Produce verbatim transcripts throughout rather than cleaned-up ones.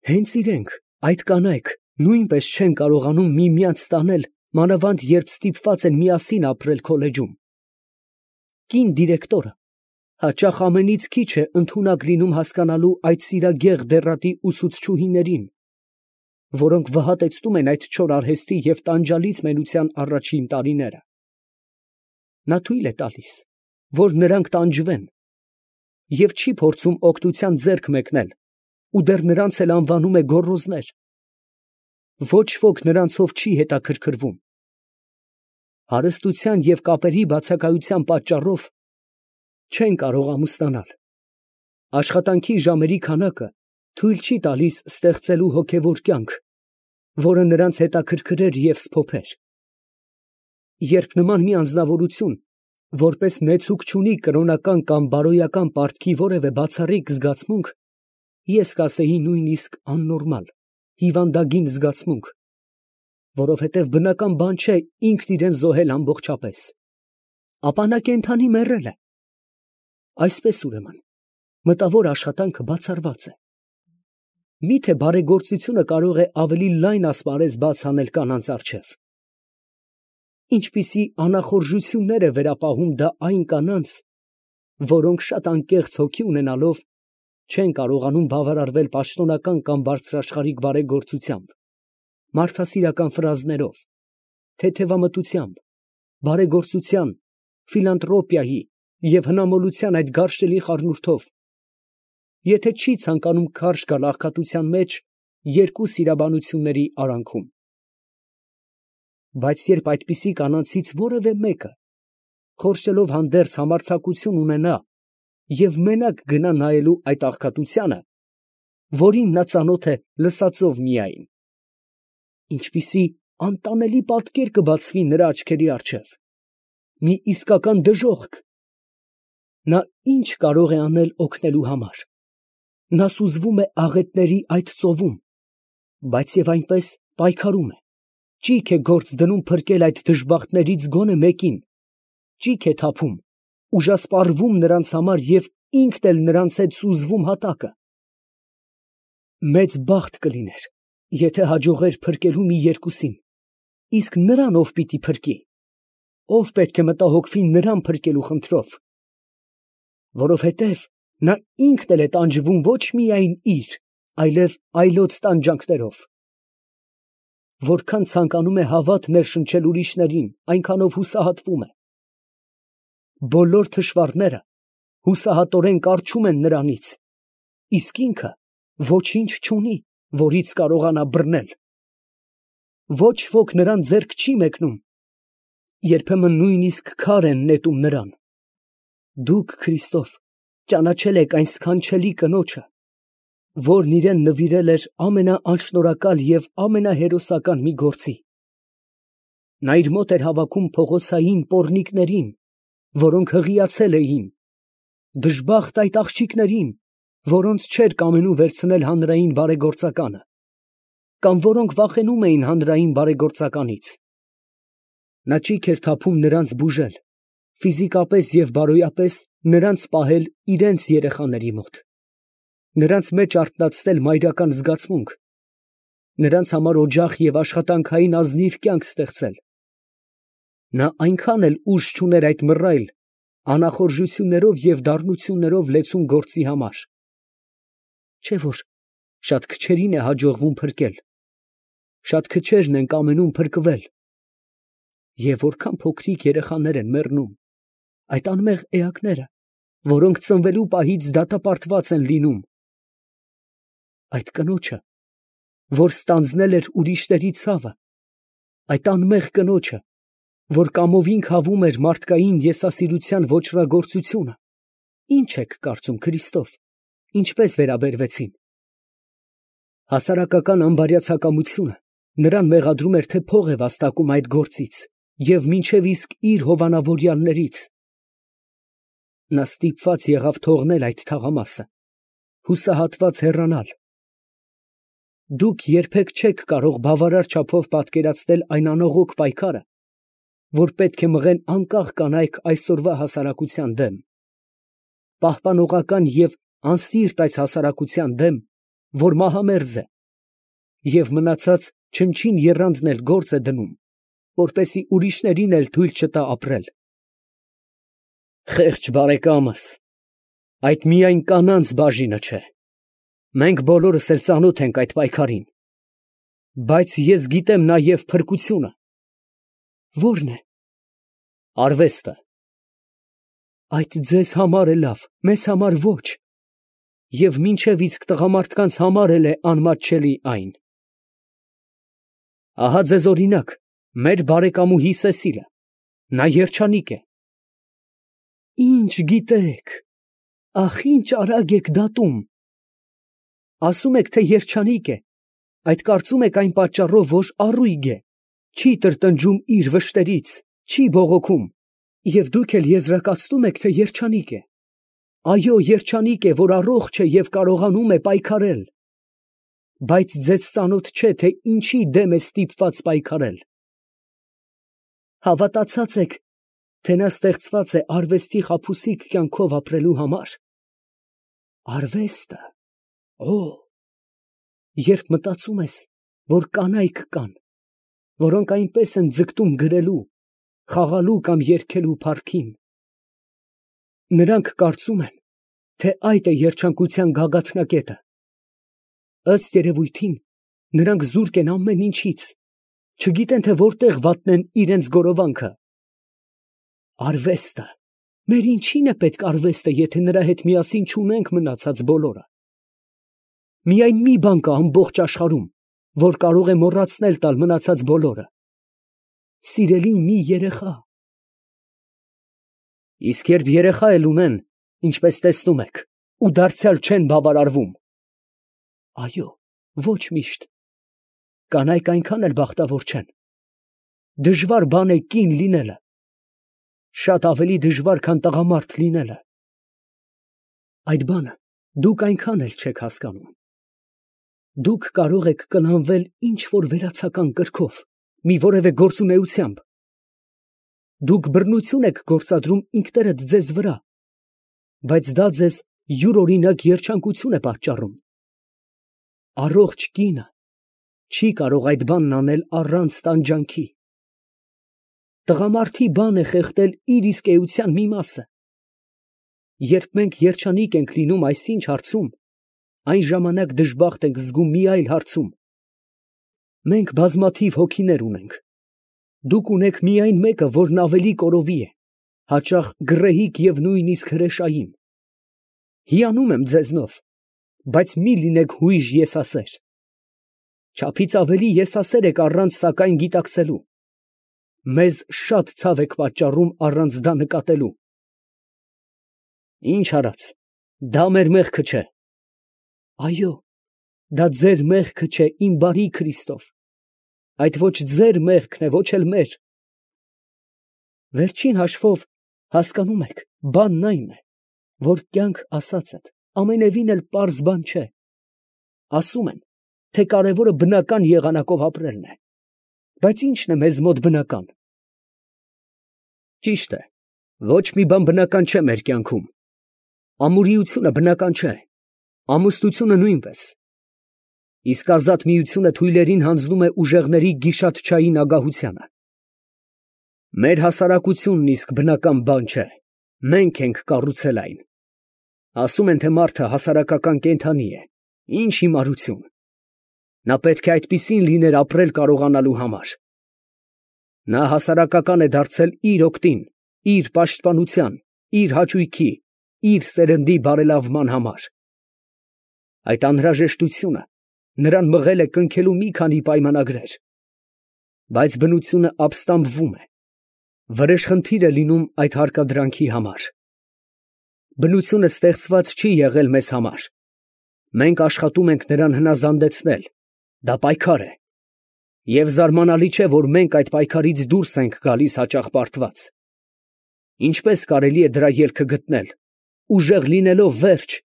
Հենց իրենք, այդ կանայք, նույնպես չեն կարողանում միմյանց տանել, մանավանդ երբ ստիպված են միասին ապրել քոլեջում։ Կին դիրեկտորը հաճախ ամենից քիչ է ընդունակ լինում հասկանալու այդ սիրագեղ դեռատի ուսուցչուհիներին, որոնք վհատեցնում են այդ չոր արհեստի և տանջալից մենության առաջին տարիները։ Նա թույլ է տալիս, որ նրանք տանջվեն, և չի փորձում օգնության ձեռք մեկնել ու դեռ նրանց էլ անվանում է գոռոզներ։ Ոչ ոք նրանցով չի հետաքրքրվում։ Հարստության և կապերի բացակայության պատճառով չեն կարող ամուսնանալ։ Աշխատանքի ժամերի քանակը թույլ չի տալիս ստեղծելու հոգևոր կյանք, որը նրանց հետաքրքրեր և սփոփեր։ Երբ նման մի անձնավորություն որպես նեցուկ չունի կրոնական կամ բարոյական պարտքի որևէ բացառիկ զգացմունք, ես կասեի նույնիսկ աննորմալ, հիվանդագին զգացմունք, որովհետև բնական բան չէ ինքն իրան զոհել ամբողջապես, ապա նա կենդանի մեռել է։ Այսպես ուրեմն, մտավոր աշխատանքը բացառված է։ Միթե բարեգործությունը կարող է ավելի լայն ասպարեզ բաց անել կանանց առջև։ Ինչպիսի անախորժություններ է վերապահում դա այն կանանց, որոնք շատ անկեղծ հոգի ունենալով, չեն կարողանում բավարարվել պաշտոնական կամ բարձրաշխարհիկ բարեգործությամբ, մարդասիրական ֆրազներով, թեթևամտությամբ, բարեգործության, ֆիլանթրոպիայի և հնամոլության այդ գարշելի խառնուրդով, եթե չի ցանկանում քարշ գալ աղքատության մեջ երկու սիրաբանությունների արանքում։ Բայց երբ այդպիսի կանանցից որևէ մեկը, խորշելով հանդերձ համարձակություն ունենա և մենակ գնա նայելու այդ աղքատությանը, որին նա ծանոթ է լսածով միայն, ինչպիսի անտանելի պատկեր կբացվի նրա աչքերի առջև, մի իսկական դժոխք, նա ինչ կարող է անել օգնելու համար։ Նա սուզվում է աղետների այդ ծովում, բայց և այնպես պայքարում է, ճիգ է գործ դնում փրկել այդ դժբախտներից գոնե մեկին, ճիգ է թափում, ուժասպառվում նրանց համար և ինքն էլ նրանց հետ սուզվում հատակը։ Մեծ բախտ կլիներ, եթե հաջողեր փրկելու մի երկուսին, իսկ նրան ով պիտի փրկի, ով պետք է մտահոգվի նրան փրկելու խնդրով, որովհետև նա ինքն էլ է տանջվում ոչ միայն իր, այլև այլոց տանջանքներով։ Որքան ցանկանում է հավատ ներշնչել ուրիշներին, այնքանով հուսահատվում է։ Բոլոր թշվառները հուսահատորեն կառչում են նրանից, իսկ ինքը ոչինչ չունի, որից կարողանա բռնել։ Ոչ ոք նրան ձեռք չի մեկնում, երբեմն նույնիսկ քար են նետում նրան։ Դուք, Քրիստով, ճանաչել եք այն սքանչելի կնոջը, որն իրան նվիրել էր ամենաանշնորհակալ և ամենահերոսական մի գործի։ Նա իր մոտ էր հավաքում փողոցային պոռնիկներին, որոնք հղիացել էին, դժբախտ այդ աղջիկներին, որոնց չէր կամենում վերցնել հանրային բարեգործականը, կամ որոնք վախենում էին հանրային բարեգործականից։ Նա ճիգ էր թափում նրանց բուժել, ֆիզիկապես և բարոյապես նրանց պահել իրենց երեխաների մոտ, նրանց մեջ արթնացնել մայրական զգացմունք, նրանց համար օջախ և աշխատանքային ազնիվ կյանք ստեղծել։ Նա այնքան էլ ուժ չուներ այդ մռայլ, անախորժություններով և դառնություններով լեցուն գործի համար, չէ՞ որ շատ քչերին է հաջողվում փրկել, շատ քչերն են կամենում փրկվել, և որքան փոքրիկ երեխաներ են մեռնում, այդ անմեղ էակները, որոնք ծնվելու պահից դատապարտված են լինում։ Այդ կնոջը, որ ստանձնել էր ուրիշների ցավը, այդ անմեղ կնոջը, որ կամովին քավում էր մարդկային եսասիրության ոճրագործությունը, ի՞նչ եք կարծում Քրիստով, ինչպես վերաբերվեցին։ Հասարակական անբարյացակամությունը նրան մեղադրում էր, թե փող է վաստակում այդ գործից և մինչև իսկ իր հովանավորյալներից։ Նա ստիպված եղավ թողնել այդ թաղամասը, հուսահատված հեռանալ։ Դուք երբեք չեք կարող բավարար չափով պատկերացնել այն անողոք պայքարը, որ պետք է մղեն անկախ կանայք այսօրվա հասարակության դեմ, պահպանողական և անսիրտ այս հասարակության դեմ, որ մահամերձ է, և մնացած չնչին եռանդն էլ գործ է դնում, որպեսզի ուրիշներին էլ թույլ չտա ապրել։ Խեղճ բարեկամս, այդ միայն կանանց բաժինը չէ, մենք բոլորս էլ ծանոթ ենք այդ պայքարին, բայց ես գիտեմ նաև փրկությունը։ Ո՞րն է։ Արվեստը։ Այդ ձեզ համար է լավ, մեզ համար ոչ, և մինչև իսկ տղամարդկանց համար էլ է անմատչելի այն։ Ահա ձեզ օրինակ, մեր բարեկամուհի Սեսիլը, նա երջանիկ է։ Ինչ գիտեք, ախ, ինչ արագ եք դատում։ Ասում եք, թե երջանիկ է, այդ կարծում եք այն պատճառով, որ առույգ է, չի տրտնջում իր վշտերից, չի բողոքում, և դուք էլ եզրակացնում եք, թե երջանիկ է։ Այո, երջանիկ է, որ առողջ է և կարողանում է պայքարել։ Բայց ձեզ ծանոթ չէ, թե ինչի դեմ է ստիպված պայքարել։ Հավատացած եք, թե նա ստեղծված է արվեստի խաբուսիկ կյանքով ապրելու համար։ Արվեստը, օ, երբ մտածում ես, որ կանայք կան, որոնք այնպես են ձգտում գրելու, խաղալու կամ երգելու փառքին, նրանք կարծում են, թե այդ է երջանկության գագաթնակետը։ Ըստ երևույթին, նրանք զուրկ են ամեն ինչից, չգիտեն, թե որտեղ վատնեն իրենց գորովանքը։ Արվեստը, մեր ինչին է պետք արվեստը, եթե նրա հետ միասին չունենք մնացած բոլորը։ Միայն մի բան կա ամբողջ աշխարհում, որ կարող է մոռացնել տալ մնացած բոլորը. սիրելի մի երեխա։ Իսկ երբ երեխա էլ ունեն, ինչպես տեսնում եք, ու դարձյալ չեն բավարարվում։ Այո, ոչ միշտ։ Կանայք այնքան էլ բախտավոր չեն։ Դժվար բան է կին լինելը, շատ ավելի դժվար, քան տղամարդ լինելը։ Այդ բանը դուք այնքան էլ չեք հասկանում։ Դուք կարող եք կլանվել ինչ-որ վերացական կրքով, մի որևէ գործունեությամբ։ Դուք բռնություն եք գործադրում ինքներդ ձեզ վրա, բայց դա ձեզ յուրօրինակ երջանկություն է պատճառում։ Առողջ կինը չի կարող այդ բանն անել առանց տանջանքի։ Տղամարդի բան է խեղդել իր իսկ էության մի մասը։ Երբ մենք երջանիկ ենք լինում այսինչ հարցում, այն ժամանակ դժբախտ ենք զգում մի այլ հարցում։ Մենք բազմաթիվ հոգիներ ունենք։ Դուք ունեք միայն մեկը, որն ավելի կորովի է, հաճախ գռեհիկ և նույնիսկ հրեշային։ Հիանում եմ ձեզնով, բայց մի լինեք հույժ եսասեր։ Չափից ավելի եսասեր եք առանց սակայն գիտակցելու։ Մեզ շատ ցավ եք պատճառում առանց դա նկատելու։ Ինչ արած, դա մեր մեղքը չէ։ Այո, դա ձեր մեղքը չէ, իմ բարի Քրիստով, այդ ոչ ձեր մեղքն է, ոչ էլ մեր։ Վերջին հաշվով, հասկանում եք, բանն այն է, որ կյանք ասածդ ամենևին էլ պարզ բան չէ։ Ասում են, թե կարևորը բնական եղանակով ապրելն է, բայց ի՞նչն է մեզ մոտ բնական։ Ճիշտ է, ոչ մի բան բնական չէ մեր կյանքում։ Ամուրիությունը բնական չէ, ամուսնությունը նույնպես։ Իսկ ազատ միությունը թույլերին հանձնում է ուժեղների գիշատչային ագահությանը։ Մեր հասարակությունն իսկ բնական բան չէ, մենք ենք կառուցել այն։ Ասում են, թե մարդը հասարակական կենդանի է, ինչ հիմարություն։ Նա պետք է այդպիսին լիներ ապրել կարողանալու համար։ Նա հասարակական է դարձել իր օգտին, իր պաշտպանության, իր հաճույքի, իր սերնդի բարելավման համար։ Այդ անհրաժեշտությունը նրան մղել է կնքելու մի քանի պայմանագրեր։ Բայց բնությունը ապստամբվում է, վրեժխնդիր է լինում այդ հարկադրանքի համար։ Բնությունը ստեղծված չի եղել մեզ համար։ Մենք աշխատում ենք նրան հնազանդեցնել, դա պայքար է։ Եվ զարմանալի չէ, որ մենք այդ պայքարից դուրս ենք գալիս հաճախ պարտված։ Ինչպես կարելի է դրա ելքը գտնել, ուժեղ լինելով վերջ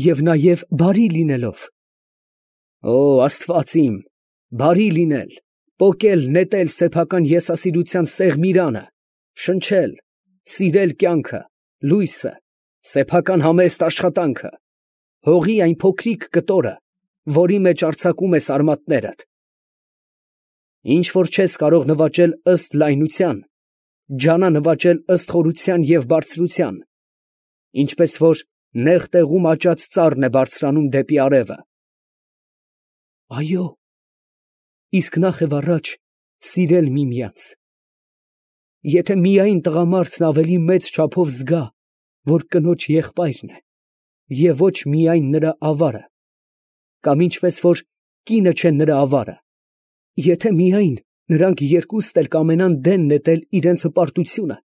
և նաև բարի լինելով։ Օ, Աստված իմ, բարի լինել, պոկել, նետել սեփական եսասիրության սեղմ իրանը, շնչել, սիրել կյանքը, լույսը, սեփական համեստ աշխատանքը, հողի այն փոքրիկ կտորը, որի մեջ արձակում ես արմատներդ։ Ինչ որ չես կարող նվաճել ըստ լայնության, ջանա նվաճել ըստ խորության և բարձրության, ինչպես որ նեղ տեղում աճած ծառն է բարձրանում դեպի արևը։ Այո, իսկ նախ և առաջ սիրել միմյանց։ Եթե միայն տղամարդն ավելի մեծ չափով զգա, որ կնոջ եղբայրն է, և ոչ միայն նրա ավարը, կամ ինչպես որ կինը չէ նրա ավարը, եթե միայն նրանք երկուստ էլ կամենան դեն նետել իրանց հպարտությունը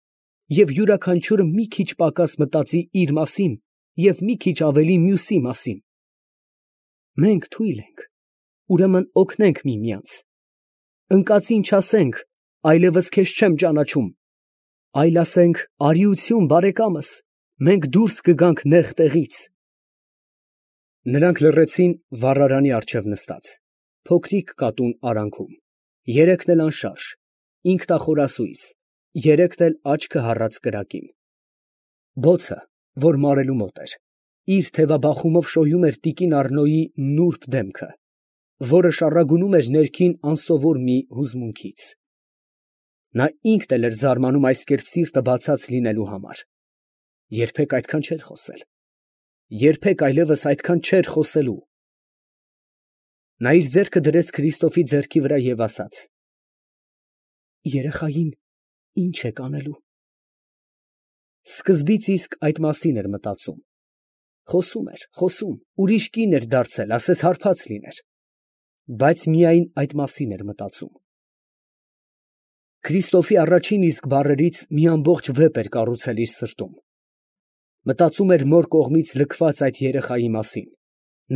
և յուրաքանչյուրը մի քիչ պակաս մտածի իր մասին և մի քիչ ավելի մյուսի մասին, մենք թույլ ենք, ուրեմն օգնենք միմյանց, ընկածին չասենք, այլևս քեզ չեմ ճանաչում, այլ ասենք, արիություն բարեկամս, մենք դուրս կգանք նեղ տեղից։ Նրանք լռեցին վառարանի առջև նստած, փոքրիկ կատուն արանքում, երեքն էլ անշարժ, ինքնախորասույզ, երեքն էլ աչքը հառած կրակին։ Բոցը, որ մարելու մոտ էր, իր թևաբախումով շոյում էր տիկին Առնոյի նուրբ դեմքը, որը շառագունում էր ներքին անսովոր մի հուզմունքից։ Նա ինքն էլ էր զարմանում այս կերպ սիրտը բացած լինելու համար. երբեք այդքան չէր խոսել, երբեք այլևս այդքան չէր խոսելու։ Նա իր ձեռքը դրեց Քրիստոֆի ձեռքի վրա և ասաց. երեխային ի՞նչ եք անելու։ Սկզբից իսկ այդ մասին էր մտածում, խոսում էր, խոսում, ուրիշ կին էր դարձել, ասես հարբած լիներ, բայց միայն այդ մասին էր մտածում։ Քրիստոֆի առաջին իսկ բառերից մի ամբողջ վեպ էր կառուցել իր սրտում։ Մտածում էր մոր կողմից լքված այդ երեխայի մասին,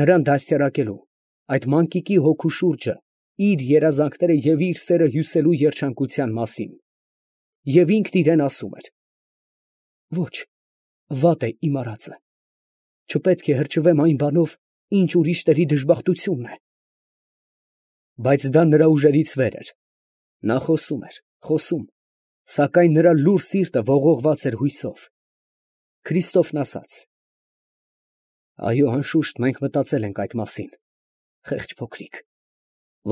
նրան դաստիարակելու, այդ մանկիկի հոգու շուրջը իր երազանքները և իր սերը հյուսելու երջանկության մասին, և ինքն իրան ասում էր. ոչ, վատ է իմ արածը, չպետք է հրճվեմ այն բանով, ինչ ուրիշների դժբախտությունն է։ Բայց դա նրա ուժերից վեր էր, նա խոսում էր, խոսում, սակայն նրա լուռ սիրտը ողողված էր հույսով։ Քրիստոֆն ասաց. այո, անշուշտ մենք մտածել ենք այդ մասին, խեղճ փոքրիկ,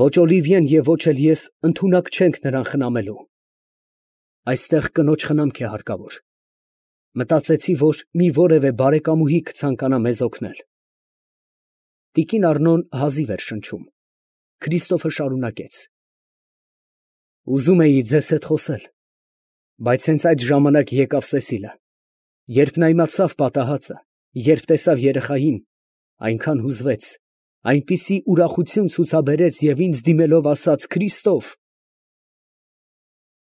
ոչ Օլիվիեն և ոչ էլ ես ընդունակ չենք նրան խնամելու։ Այստեղ կնոջ խնամք է հարկավոր։ Մտածեցի, որ մի որևէ բարեկամուհի կցանկանա մեզ օգնել։ Տիկին Առնոն հազիվ էր շնչում։ Քրիստոֆը շարունակեց. ուզում էի ձեզ հետ խոսել, բայց հենց այդ ժամանակ եկավ Սեսիլը, երբ նա իմացավ պատահածը, երբ տեսավ երեխային, այնքան հուզվեց, այնպիսի ուրախություն ցուցաբերեց և ինձ դիմելով ասաց. «Քրիստո՛վ»։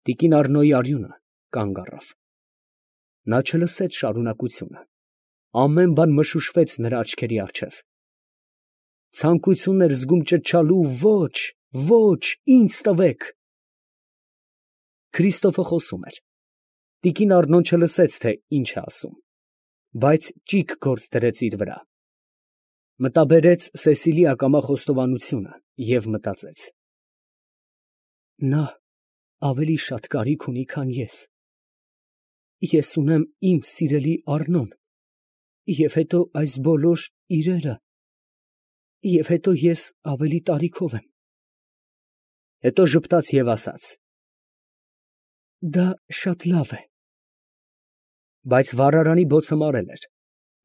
Տիկին Առնոյի արյունը կանգ առավ։ Նա չլսեց շարունակությունը, ամեն բան մշուշվեց նրա աչքերի առջև։ Ցանկություն էր զգում ճչալու. «Ոչ, ոչ, ինձ տվեք»։ Քրիստոֆը խոսում էր։ Տիկին Առնոն չլսեց, թե ինչ է ասում, բայց ճիգ գործ դրեց իր վրա։ Մտաբերեց Սեսիլի ակամա խոստովանությունը և մտածեց. նա ավելի շատ կարիք ունի, քան ես։ Ես ունեմ իմ սիրելի Առնոն, և հետո այս բոլոր իրերը, և հետո ես ավելի տարիքով եմ։ Հետո ժպտաց և ասաց. դա շատ լավ է։ Բայց վառարանի բոցը մարել էր,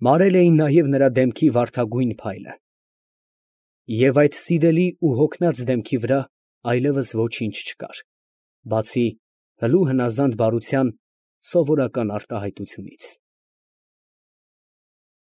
մարել էին նաև նրա դեմքի վարդագույն փայլը։ Եվ այդ սիրելի ու հոգնած դեմքի վրա այլևս ոչինչ չկար, բացի հլու հնազանդ բարության սովորական արտահայտությունից։